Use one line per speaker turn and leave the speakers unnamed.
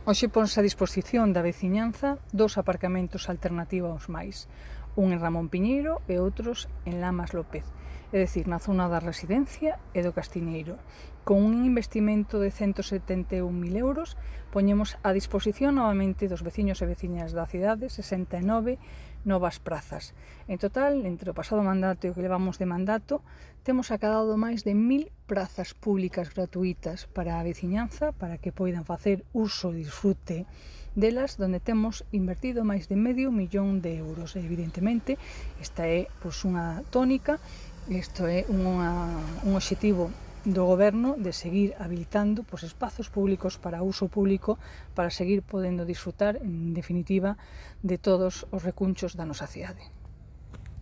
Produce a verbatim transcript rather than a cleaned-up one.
Hoxe ponse a disposición da veciñanza dous aparcamentos alternativos máis, un en Ramón Piñeiro e outros en Lamas López, é dicir, na zona da Residencia e do Castiñeiro. Con un investimento de cento setenta e un mil euros, poñemos a disposición novamente dos veciños e veciñas da cidade sesenta e nove novas prazas. En total, entre o pasado mandato e o que levamos de mandato, temos acadado máis de mil prazas públicas gratuitas para a veciñanza, para que poidan facer uso e disfrute delas, donde temos invertido máis de medio millón de euros. E, evidentemente, esta é pois, unha tónica, isto é unha, un obxectivo do Goberno de seguir habilitando pois, espazos públicos para uso público, para seguir podendo disfrutar, en definitiva, de todos os recunchos da nosa cidade.